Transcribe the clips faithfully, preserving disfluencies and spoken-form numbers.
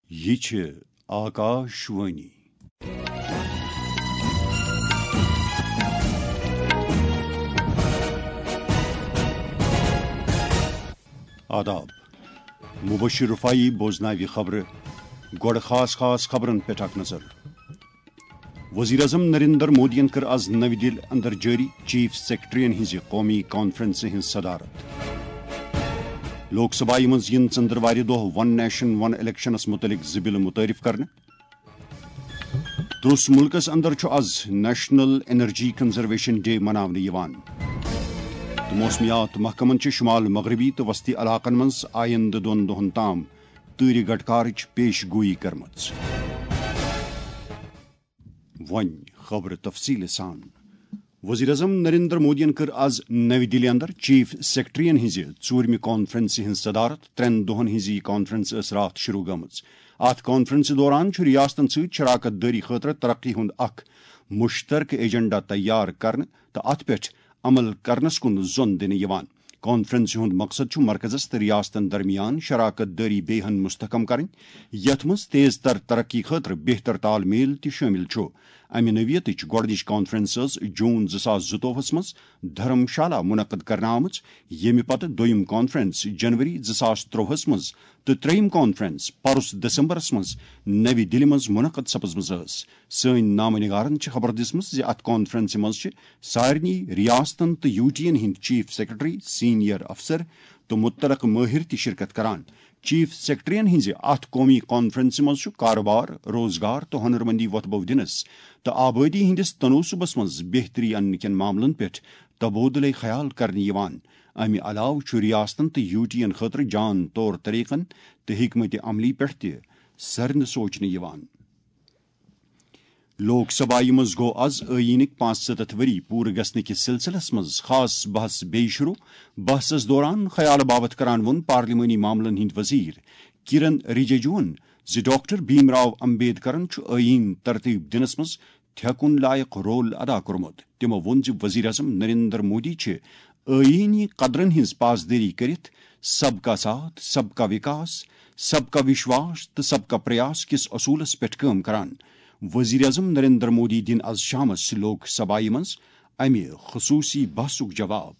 یہِ چھِ آکاش وانی۔ آداب۔ مبشر رفاعی بوزناوِ خبرٕ۔ گۄڈٕ خاص خاص خبرن پٮ۪ٹھ اکھ نظر۔ وزیر اعظم نریندر مودیَن کٔر از نَوِ دِلہِ اندر جٲری چیف سیکرٹریَن ہٕنٛزِ قومی کانفرنسہِ ہٕنٛز صدارت۔ لوک سبھایہِ منٛز یِن ژٔنٛدٕروارِ دۄہ ون نیشن ون الیکشنس مُتعلق زٕ بِلہٕ مُتعارف کرنہٕ۔ ترٛوٚس مُلکس اندر چھُ is national energy conservation day مناونہٕ یِوان۔ تہٕ موسمیات محکمن چھِ شمال مغربی تہٕ وسطی علاقن منٛز آیندٕ دۄن دۄہن تام تۭرِ گٹکارٕچ پیش گویی کٔرمٕژ۔ وۄنۍ خبرٕ تفصیٖلہٕ سان۔ وزیر اعظم نریندر مودیَن کٔر از نَوِ دِلہِ اندر چیف سیکرٹریَن ہٕنٛزِ ژوٗرمہِ کانفرنسہِ ہٕنٛز صدارت۔ ترٛٮ۪ن دۄہَن ہٕنٛز یہِ کانفرنس ٲس راتھ شروع گٔمٕژ۔ اَتھ کانفرنسہِ دوران چھُ ریاستن سۭتۍ شراکت دٲری خٲطرٕ ترقی ہُنٛد اکھ مشترکہٕ ایجنڈا تیار کرنہٕ تہٕ اَتھ پٮ۪ٹھ عمل کرنس کُن زۄن دِنہٕ یِوان۔ کانفرنسہِ ہُنٛد مقصد چھُ مرکزس تہٕ ریاستن درمیان شراکت دٲری بیٚیہِ ہن مستحکم کرٕنۍ، یتھ منٛز تیز تر ترقی خٲطرٕ بہتر تال میل تہِ شٲمِل چھُ۔ امہِ نوعیتٕچ گۄڈٕنِچ کانفرنس ٲس جون زٕ ساس زٕتووُہس منٛز دھرم شالا منعقد کرنہٕ آمٕژ، ییٚمہِ پتہٕ دوٚیِم کانفرنس جنوری زٕ ساس ترٛۆہس منٛز تہٕ ترٛیٚیِم کانفرنس پرُس دسمبرس منٛز نَوِ دِلہِ منٛز منعقد سپٕزمٕژ ٲس۔ سٲنۍ نامہ نگارن چھِ خبر دِژمٕژ زِ اتھ کانفرنسہِ منٛز چھِ سارنٕے ریاستن تہٕ یوٗٹین ہٕنٛدۍ چیف سیکرٹری، سینئر افسر تہٕ متعلقہٕ مٲہِر تہِ شرکت کران۔ چیف سیکرٹریَن ہٕنٛزِ اتھ قومی کانفرنسہِ منٛز چھُ کارٕبار، روزگار تہٕ ہۄنرمندی وۄتھٕ بو دِنس تہٕ آبٲدی ہٕنٛدِس تنوسبس منٛز بہتری اننہٕ کٮ۪ن معاملن پٮ۪ٹھ تبادلے خیال کرنہٕ یِوان۔ امہِ علاوٕ چھُ ریاستن تہٕ یوٗٹین خٲطرٕ جان طور طریقن تہٕ حکمت عملی پٮ۪ٹھ تہِ سرنہٕ سوچنہٕ یِوان۔ لوک سبھایہِ منٛز گوٚو از ٲییٖنٕکۍ پانٛژھ ستتھ ؤری پوٗرٕ گژھنہٕ کِس سلسلس منٛز خاص بحث بیٚیہِ شروع۔ بحثس دوران خیال باوت کران ووٚن پارلیمانی معاملن ہٕنٛدۍ وزیر کِرن رِجِجوٗہن زِ ڈاکٹر بھیم راو امبیڈکرن چھُ ٲییٖن ترتیب دِنس منٛز تھٮ۪کُن لایق رول ادا کوٚرمُت۔ تِمو ووٚن زِ وزیر اعظم نریندر مودی چھِ ٲییٖنی قدرن ہٕنٛز پاسدٲری کٔرِتھ سب کا ساتھ، سب کا وکاس، سب کا وشواس تہٕ سب کا پریاس کِس اصوٗلس پٮ۪ٹھ کٲم کران۔ وزیر اعظم نریندر مودی دِن از شامس لوک سبھایہ منٛز امہِ خصوٗصی بحثُک جواب۔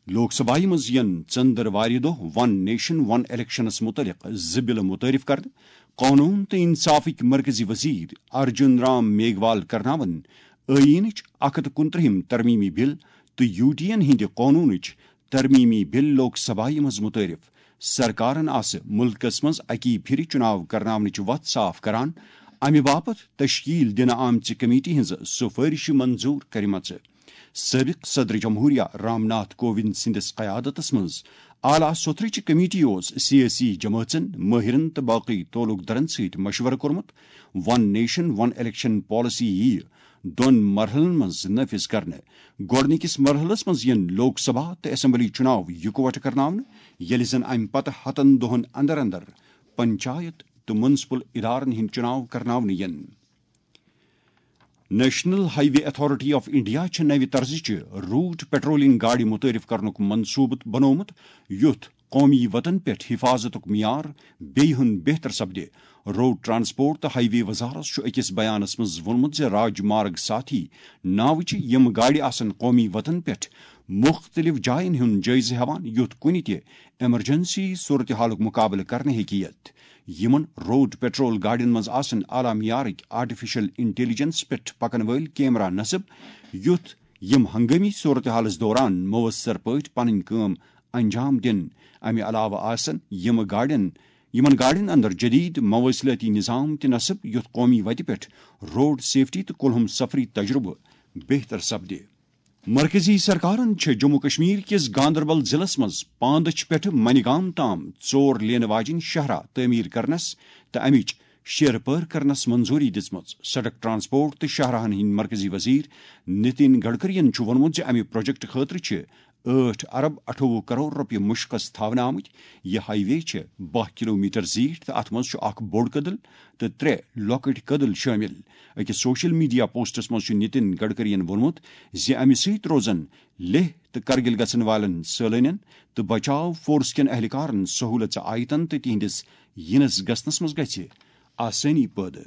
لوک سبھایہ منٛز یِن ژٔنٛدٕروارِ دۄہ ون نیشن ون الیکشنس مُتعلق زٕ بِلہٕ مُتعارف کرنہٕ۔ قونوٗن تہٕ انصافٕکۍ مرکزی وزیر ارجُن رام میگھوال کرناون ٲییٖنٕچ اکھ ہتھ کُنترٛہِم ترمیمی بِل تہٕ یوٗٹین ہٕنٛدِ قونوٗنٕچ ترمیمی بِل لوک سبھایہ منٛز مُتعارف۔ سرکارن آسہٕ مُلکس منٛز اکی پھِرِ چُناو کرناونٕچ وتھ صاف کران، امہِ باپتھ تشکیل دِنہٕ آمژِ کمیٹی ہٕنٛزٕ سُفٲرشہِ منظوٗر کرِمژٕ۔ سٲبِق صدر جمہوریہ رام ناتھ کووِند سٕنٛدِس قیادتس منٛز اعلیٰ سوٚتھرٕچہِ کمیٹی اوس سیٲسی جمٲژن، مٲہِرن تہٕ باقٕے تعلق دارن سۭتۍ مشورٕ کوٚرمُت۔ ون نیشن ون الیکشن پالیسی یِیہِ دۄن مرحلن منٛز نافذ کرنہٕ۔ گۄڈٕنِکِس مرحلس منٛز یِن لوک سبھا تہٕ اسمبلی چُناو یِکوٹہٕ کرناونہٕ، ییٚلہِ زن امہِ پتہٕ ہتن دۄہن اندر اندر پنچایت تہٕ میونسپل ادارن ہٕنٛدۍ چُناو کرناونہٕ یِن۔ National high way authority of India چھِ نوِ طرزٕچہِ روٹ پیٹرولنگ گاڑِ متعارف کرنُک منصوبہٕ بنوومُت، یُتھ قومی وتن پٮ۪ٹھ حفاظتُک معیار بیٚیہِ ہن بہتر سپدِ۔ روڈ ٹرانسپورٹ تہٕ ہائی وے وزارت چھُ أکِس بیانس منٛز ووٚنمُت زِ راج مارگ ساتھی ناوٕچہِ یِم گاڑِ آسن قومی وتن پٮ۪ٹھ مُختٔلِف جاین ہُنٛد جٲیزٕ ہٮ۪وان، یُتھ کُنہِ تہِ ایمرجنسی صورتحالُک مُقابلہٕ کرنہٕ ہیٚکہِ یِتھ۔ یِمَن روڈ پیٹرول گاڑٮ۪ن منٛز آسَن اعلیٰ معیارٕکۍ آرٹیفیشل انٹیلیجنس پٮ۪ٹھ پَکَن وٲلۍ کیمرہ نصب، یُتھ یِم ہنگٲمی صورتحالَس دوران مؤثر پٲٹھۍ پنٕنۍ کٲم انجام دِن۔ اَمہِ علاوٕ آسَن یِم گاڑٮ۪ن، یِمَن گاڑٮ۪ن اندر جدید مواصلاتی نظام تہِ نصب، یُتھ قومی وتہِ پٮ۪ٹھ روڈ سیفٹی تہٕ کُلہُم سفری تجربہٕ بہتر سپدِ۔ مرکزی سرکارن چھِ جموں کشمیر کِس گاندربل ضلعس منٛز پاندچھ پٮ۪ٹھٕ منی گام تام ژور لینہٕ واجیٚنۍ شاہراہ تعمیٖر کرنس تہٕ امِچ شیرٕ پٲر کرنس منظوٗری دِژمٕژ۔ سڑک ٹرانسپورٹ تہٕ شاہراہن ہٕنٛدۍ مرکزی وزیر نتن گڈکرین چھُ ووٚنمُت زِ امہِ پروجیکٹ خٲطرٕ چھِ ٲٹھ ارب اَٹھووُہ کرور رۄپیہِ مُشقس تھاونہٕ آمٕتۍ۔ یہِ ہائی وے چھِ باہ کلومیٹر زیٖٹھ تہٕ اتھ منٛز چھُ اکھ بوٚڑ کٔدٕل تہٕ ترٛےٚ لۄکٕٹۍ کٔدٕل شٲمِل۔ أکِس سوشل میڈیا پوسٹس منٛز چھُ نِتِن گڈکرین ووٚنمُت زِ امہِ سۭتۍ روزن لیہہ تہٕ کرگِل گژھن والٮ۪ن سٲلٲنٮ۪ن تہٕ بچاو فورس کٮ۪ن اہلکارن سہوٗلژ آیتن تہٕ تِہنٛدِس یِنس گژھنس منٛز گژھِ آسٲنی پٲدٕ۔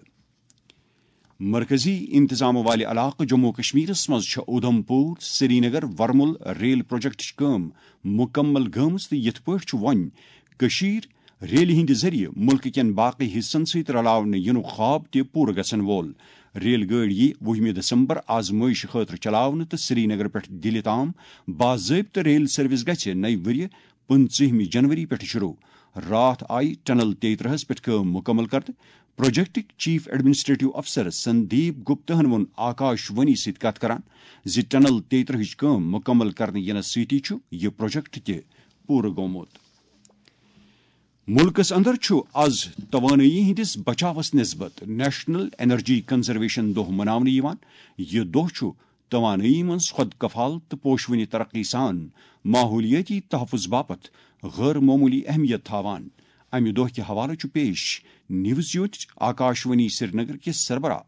مرکزی انتظام والہِ علاقہٕ جموں و کشمیرس منٛز چھِ اودھم پور، سرینگر، ورمل ریل پروجیکٹٕچ کٲم مُکمل گٔمٕژ تہٕ یِتھ پٲٹھۍ چھُ وۄنۍ کٔشیٖر ریلہِ ہٕنٛدِ ذٔریعہٕ مُلکہٕ کٮ۪ن باقٕے حصن سۭتۍ رلاونہٕ یِنُک خواب تہِ پوٗرٕ گژھن وول۔ ریل گٲڑۍ یِیہِ وُہمہِ دسمبر آزمٲیشہِ خٲطرٕ چلاونہٕ تہٕ سرینگر پٮ۪ٹھ دِلہِ تام باضٲبطہٕ ریل سروس گژھِ نَیہِ ؤرِیہِ پٕنٛژٕہمہِ جنوری پٮ۪ٹھٕ شروع۔ راتھ آیہِ ٹنل تیترہس پٮ۪ٹھ کٲم مُکمل کرنہٕ۔ پروجیکٹٕکۍ چیف ایڈمنسٹریٹو افسر سندیپ گپتہن ووٚن آکاش وانی سۭتۍ کتھ کران زِ ٹنل تیترہٕچ کٲم مُکمل کرنہٕ یِنس سۭتی چھُ یہِ پروجیکٹ تہِ پوٗرٕ گوٚمُت۔ مُلکس اندر چھُ از توانٲیی ہٕنٛدِس بچاوس نسبت نیشنل انرجی کنزرویشن دۄہ مناونہٕ یِوان۔ یہِ دۄہ چھُ توانٲیی منٛز خۄد کفال تہٕ پوشوٕنہِ ترقی سان ماحولیٲتی تحفظ باپتھ غٲر معموٗلی اہمیت تھاوان۔ امہِ دۄہ کہِ حوالہٕ چھُ پیش نیوز یوٗنٹٕچ آکاشوانی سرینگر کِس سربراہ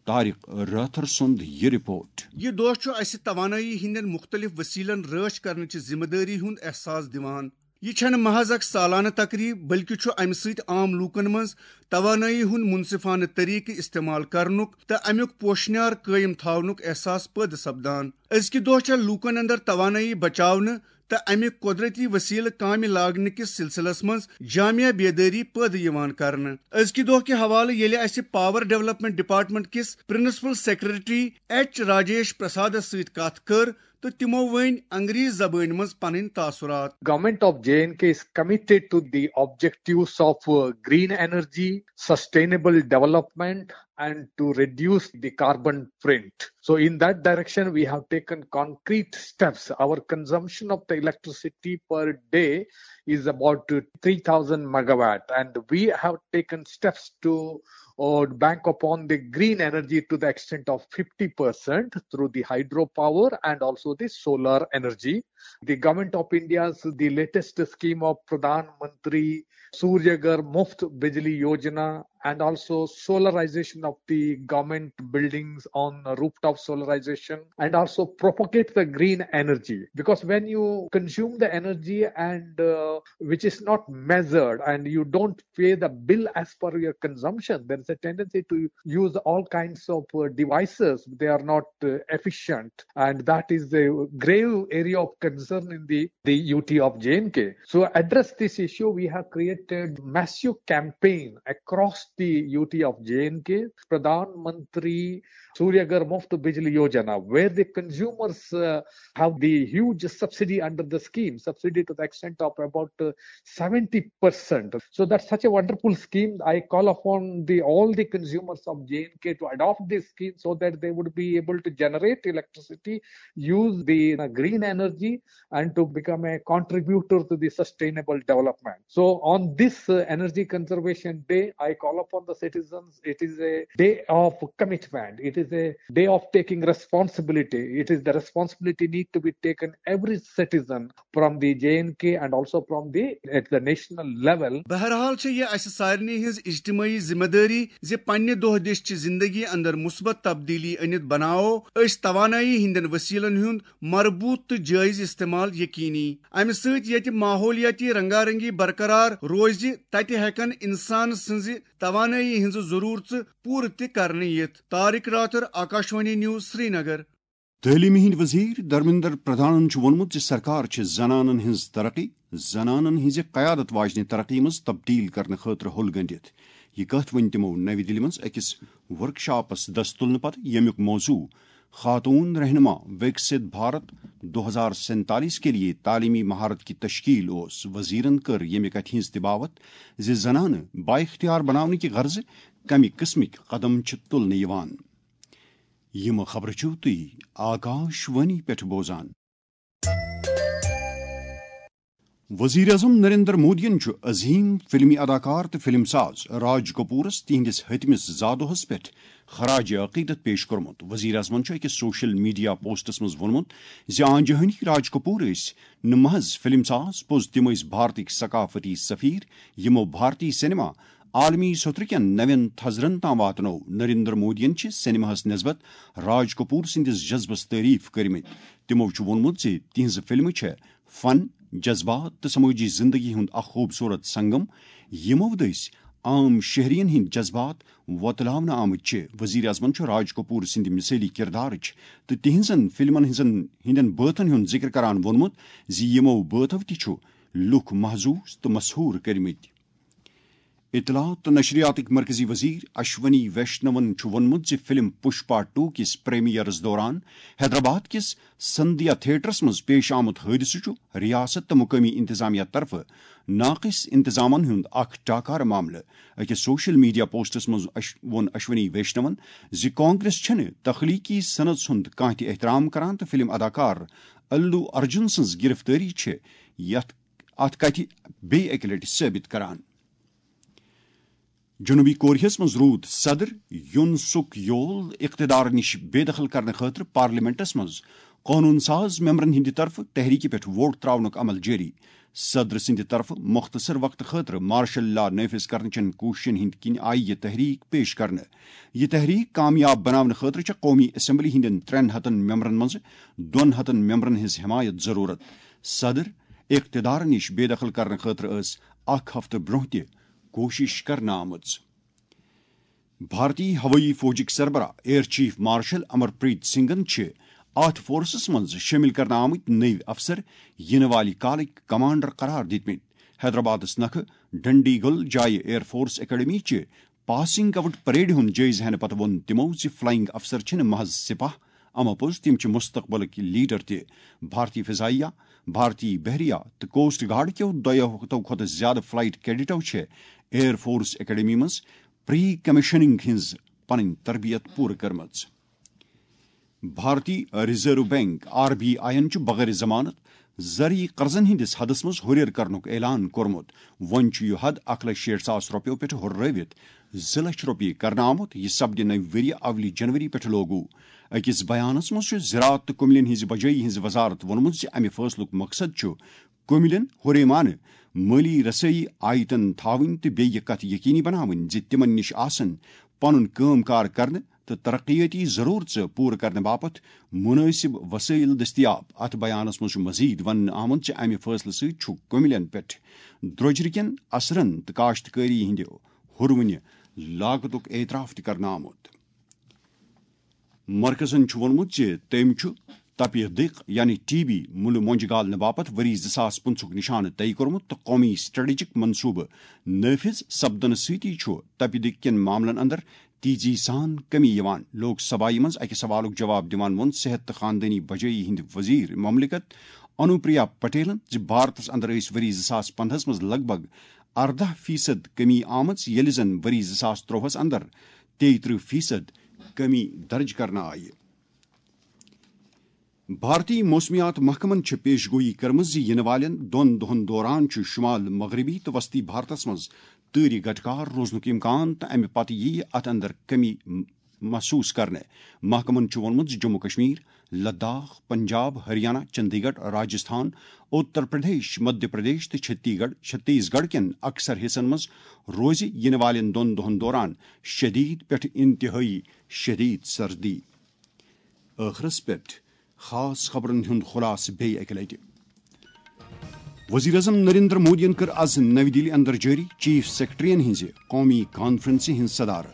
طارق رٲتھر سُنٛد یہِ رپورٹ۔ یہِ دۄہ چھُ اسہِ توانٲیی ہٕنٛدٮ۪ن مُختٔلِف وسیلن رٲچھ کرنٕچ ذمہٕ دٲری ہُنٛد احساس دِوان۔ یہِ چھنہٕ محض اکھ سالانہٕ تقریب، بلکہِ چھُ امہِ سۭتۍ عام لوٗکن منٛز توانٲیی ہُنٛد منصفانہٕ طریقہٕ استعمال کرنُک تہٕ امیُک پوشنیار قٲیِم تھاونُک احساس پٲدٕ سپدان۔ أزکہِ دۄہ چھےٚ لوٗکن اندر توانٲیی بچاونہٕ تہٕ امہِ قۄدرتی وسیلہٕ کامہِ لاگنہٕ کِس سلسلس منٛز جامع بیدٲری پٲدٕ یِوان کرنہٕ۔ أزکہِ دۄہ کہِ حوالہٕ ییٚلہِ اسہِ پاور ڈیولپمنٹ ڈپارٹمنٹ کِس پرنسپل سیکرٹری ایچ راجیش پرسادس سۭتۍ کتھ کٔر، تہٕ تِمو ؤنۍ انگریزی زبٲنۍ منٛز پنٕنۍ تاثرات۔ Government of J and K is committed to the objectives of uh, green energy, sustainable development, and to reduce the carbon print. So, in that direction, we have taken concrete steps. Our consumption of the electricity per day is about uh, three thousand megawatt, and we have taken steps to uh, bank upon the green energy to the extent of fifty percent through the hydropower and also the solar energy. The Government of India's the latest scheme of Pradhan Mantri Suryaghar Muft Bijli Yojana and also solarization of the government buildings on rooftop solarization and also propagate the green energy, because when you consume the energy and uh, which is not measured and you don't pay the bill as per your consumption, there is a tendency to use all kinds of uh, devices. They are not uh, efficient, and that is a grave area of concern in the, the U T of J and K. So address this issue, we have created massive campaign across the U T of J and K, Pradhan Mantri Suryaghar Muft Bijli Yojana, where the consumers uh, have the huge subsidy under the scheme, subsidy to the extent of about uh, seventy percent. So that's such a wonderful scheme. I call upon the all the consumers of J and K to adopt this scheme so that they would be able to generate electricity, use the uh, green energy, and to become a contributor to the sustainable development. So on this uh, Energy Conservation Day, I call upon the citizens. It is a day of commitment. It is a day of taking responsibility. It is the responsibility need to be taken every citizen from the J and K and also from the at the national level. بہرحال چھےٚ یہِ اسہِ سارنٕے ہٕنٛز اجتمٲعی ذمہٕ دٲری زِ پننہِ دۄہ دِش چہِ زندگی اندر مثبت تبدیلی أنِتھ بناوو أسۍ توانٲیی ہٕنٛدٮ۪ن وسیلن ہُنٛد مربوط تہٕ جٲیز استعمال یقینی۔ امہِ سۭتۍ ییٚتہِ ماحولیٲتی رنگا رنگی برقرار روزِ، تتہِ ہیٚکن انسان سٕنٛزِ توانٲیی ہٕنٛزٕ ضروٗرژٕ پوٗرٕ تہِ کرنہٕ یِتھ۔ طارق راتھر، آکاشوانی نیوز، سرینگر۔ تعلیمہِ ہٕنٛدۍ وزیر دھرمیندر پردھانن چھُ ووٚنمُت زِ سرکار چھِ زنانن ہٕنٛز ترقی، زنانن ہٕنٛزِ قیادت واجنہِ ترقی منٛز تبدیل کرنہٕ خٲطرٕ ہوٚل گٔنٛڈِتھ۔ یہِ کتھ ؤنۍ تِمو نَوِ دِلہِ منٛز أکِس ورکشاپس دست تُلنہٕ پتہٕ، ییٚمیُک موضوع خاتون رہنما وکست بھارت دو ہزار سینتالیس کے لیے تعلیمی مہارت کی تشکیل اوس۔ وزیرن کٔر ییٚمہِ کتھِ ہٕنٛز تہِ باوتھ زِ زنانہٕ بااختیار بناونہٕ کہِ غرضہٕ کمہِ قٕسمٕکۍ قدم چھِ تُلنہٕ یِوان۔ یِم خبرٕ چھِو تُہۍ آکاش وانی پٮ۪ٹھ بوزان۔ وزیر اعظم نریندر مودیَن چھُ عظیم فلمی اداکار تہٕ فلم ساز راج کپورَس تِہنٛدِس ہتمِس زادوہَس پٮ۪ٹھ خراج عقیدت پیش کوٚرمُت۔ وزیر اعظمَن چھُ أکِس سوشل میڈیا پوسٹَس منٛز ووٚنمُت زِ آنجہانی راج کپور ٲسۍ نہٕ محض فلم ساز، پوٚز تِم ٲسۍ بھارتٕکۍ ثقافتی سفیر، یِمو بھارتی سینما عالمی سوٚترٕ کٮ۪ن نوٮ۪ن تھزرن تام واتنوو۔ نریندر مودیَن چھِ سینماہَس نسبت راج کپور سٕنٛدِس جذبس تعریف کٔرمٕتۍ۔ تِمو چھُ ووٚنمُت زِ تِہنٛزٕ فلمہٕ چھےٚ فن، جذبات تہٕ سمٲجی زندگی ہُنٛد اکھ خوبصورت سنگم، یِمو دٔسۍ عام شہرین ہٕنٛدۍ جذبات وۄتلاونہٕ آمٕتۍ چھِ۔ وزیر اعظمَن چھُ راج کپور سٕنٛدِ مثٲلی کردارٕچ تہٕ تِہنٛزن فلمن ہٕنٛزن ہٕنٛدٮ۪ن بٲتن ہُنٛد ذکر کران ووٚنمُت زِ یِمو بٲتو تہِ چھُ لُکھ محظوظ تہٕ مسحور کٔرمٕتۍ۔ اطلاعات تہٕ نشریاتٕکۍ مرکزی وزیر اشونی ویشنون چھُ ووٚنمُت زِ فلم پُشپا ٹو کِس پریمیئرس دوران حیدرآباد کِس سندھیا تھیٹرس منٛز پیش آمُت حٲدثہٕ چھُ ریاست تہٕ مقٲمی انتظامیہ طرفہٕ ناقص انتظامن ہُنٛد اکھ ٹاکارٕ معاملہٕ۔ أکِس سوشل میڈیا پوسٹس منٛز اش-، ووٚن اشونی ویشنون زِ کانگریس چھَنہٕ تخلیقی صنعتس ہُنٛد کانٛہہ تہِ احترام کران تہٕ فلم اداکار الو ارجن سٕنٛز گرفتٲری چھِ یتھ اتھ کتھِ بیٚیہِ اکہِ لٹہِ ثٲبت کران۔ جنوبی کوریاہس منٛز روٗد صدر یون سُک یول اقتدار نِش بے دخل کرنہٕ خٲطرٕ پارلیمنٹس منٛز قونوٗن ساز ممبرن ہٕنٛدِ طرفہٕ تحریکہِ پٮ۪ٹھ ووٹ تراونُک عمل جٲری۔ صدر سٕنٛدِ طرفہٕ مختصر وقتہٕ خٲطرٕ مارشل لا نافذ کرنہٕ چٮ۪ن کوٗششن ہٕنٛدِ کِنۍ آیہِ یہِ تحریک پیش کرنہٕ۔ یہِ تحریک کامیاب بناونہٕ خٲطرٕ چھےٚ قومی اسمبلی ہٕنٛدٮ۪ن ترٛٮ۪ن ہتن ممبرن منٛز دۄن ہتن ممبرن ہٕنٛز حمایت ضروٗرت۔ صدر اقتدار نِش بے دخل کرنہٕ خٲطرٕ ٲس اکھ ہفتہٕ برٛونٛہہ تہِ کوٗشش کرنہٕ آمٕژ۔ بھارتی ہوٲیی فوجٕکۍ سربراہ ایئر چیف مارشل امر پریت سنگھن چھِ اتھ فورسس منٛز شٲمِل کرنہٕ آمٕتۍ نٔوۍ افسر یِنہٕ والہِ کالٕکۍ کمانڈر قرار دِتمٕتۍ۔ حیدرآبادس نکھٕ ڈنڈی گل جایہِ ایئر فورس اکیڈمی چہِ پاسنگ آؤٹ پریڈ ہُنٛد جٲیزٕ ہٮ۪نہٕ پتہٕ ووٚن تِمو زِ فلائنگ افسر چھِنہٕ محض سپاہ، اما پوٚز تِم چھِ مستقبلٕکۍ لیڈر تہِ۔ بھارتی فضائیہ، بھارتی بحریہ تہٕ کوسٹ گارڈ کیو دۄیو ہتو کھۄتہٕ زیادٕ فلائٹ کیڈٹو چھِ ایئر فورس اکیڈمی منٛز پری کمیشننگ ہٕنٛز پنٕنۍ تربیت پوٗرٕ کٔرمٕژ۔ بھارتی reserve bank, R B I یَن چھُ بغٲر ضمانت زرعی قرضن ہٕنٛدِس حدس منٛز ہُرٮ۪ر کرنُک اعلان کوٚرمُت۔ وۄنۍ چھُ یہِ حد اکھ لچھ شیٹھ ساس رۄپیو پٮ۪ٹھ ہُرٲوِتھ زٕ لچھ رۄپیہِ کرنہٕ آمُت۔ یہِ سپدِ نوِ ؤریہِ اولی جنوری پٮ۪ٹھ لاگو۔ أکِس بیانس منٛز چھُ زراعت تہٕ کُملین ہٕنٛزِ بجٲیی ہٕنٛز وزارت ووٚنمُت زِ امہِ فٲصلُک مقصد چھُ کُملین ہُریمانہٕ مٲلی رسٲیی آیتن تھاوٕنۍ تہٕ بیٚیہِ یہِ کتھ یقینی بناوٕنۍ زِ تِمن نِش آسن پنُن کٲم کار کرنہٕ تہٕ ترقیٲتی ضرورژٕ پوٗرٕ کرنہٕ باپتھ مُنٲسِب وسٲیِل دٔستیاب۔ اتھ بیانس منٛز چھُ مزید وننہٕ آمُت زِ امہِ فٲصلہٕ سۭتۍ چھُ کُملین پٮ۪ٹھ درٛوجرٕ کٮ۪ن اثرن تہٕ کاشتکٲری ہٕنٛدِ ہُروٕنہِ لاگتُک اعتراف تہِ کرنہٕ آمُت۔ مرکزن چھُ ووٚنمُت زِ تٔمۍ چھُ تپہِ دق یعنی ٹی بی مُلہٕ مۄنجہِ گالنہٕ باپتھ ؤری زٕ ساس پٕنٛژٕہُک نشانہٕ طے کوٚرمُت تہٕ قومی سٹریٹجک منصوبہٕ نٲفذ سپدنہٕ سۭتی چھُ تپہِ دق کٮ۪ن معاملن اندر تیزی سان کمی یِوان۔ لوک سبھایہ منٛز اکہِ سوالُک جواب دِوان ووٚن صحت تہٕ خاندٲنی بجٲیی ہٕنٛدۍ وزیر مملکت انوپریا پٹیلن زِ بھارتس اندر ٲسۍ ؤری زٕ ساس پندہس منٛز لگ بھگ ارداہ فیصد کمی آمٕژ، ییٚلہِ زن ؤری زٕ ساس ترٛۆہس اندر تیٚیہِ ترٕٛہ فیصد کمی درج کرنہٕ آیہِ۔ بھارتی موسمیات محکمن چھِ پیش گویی کٔرمٕژ زِ یِنہٕ والٮ۪ن دۄن دۄہَن دوران چھُ شمال مغربی تہٕ وسطی بھارتَس منٛز تۭرِ گٹکار روزنُک امکان تہٕ امہِ پتہٕ یِیہِ اتھ اندر کمی م-، محسوس کرنہٕ۔ محکمن چھُ ووٚنمُت زِ جموں کشمیر، لداخ، پنجاب، ہریانہ، چندی گڑھ، راجستھان، اتر پردیش، مدھیہ پردیش تہٕ چھتی گڑھ، چھتیس گڑھ کٮ۪ن اکثر حصن منٛز روزِ یِنہٕ والٮ۪ن دۄن دۄہَن دوران شدید پٮ۪ٹھ انتہٲئی شدید سردی۔ ٲخرس پٮ۪ٹھ خاص خبرن ہُنٛد خلاصہٕ بیٚیہِ اکہِ لٹہِ۔ وزیر اعظم نریندر مودیَن کٔر از نَوِ دِلہِ اندر جٲری چیف سیکرٹریَن ہٕنٛزِ قومی کانفرنسہِ ہٕنٛز صدارت۔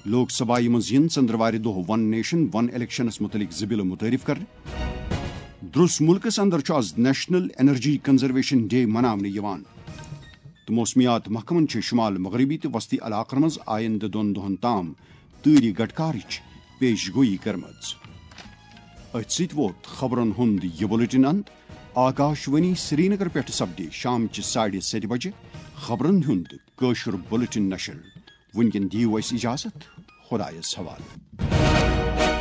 لوک سبھایہ منٛز یِن ژٔنٛدروارِ دۄہ ون نیشن ون الیکشنس مُتعلق زٕ بلہٕ مُتعارف کرنہٕ۔ درٛس مُلکس اندر چھُ is national energy conservation day مناونہٕ یِوان۔ تہٕ موسمیات محکمن چھِ شمال مغربی تہٕ وسطی علاقن منٛز آیندٕ دۄن دۄہن تام تۭرِ گٹکارٕچ پیش گویی کٔرمٕژ۔ أتھۍ سۭتۍ ووت خبرن ہُنٛد یہِ بُلٹن اند۔ آکاش وانی سرینگر پٮ۪ٹھ سپدِ شامچہِ ساڑِ ستہِ بجہِ خبرن ہُنٛد کٲشُر بُلٹن نشر۔ وُنکٮ۪ن دِیِو اَسہِ اجازت۔ خدایس حوالہٕ۔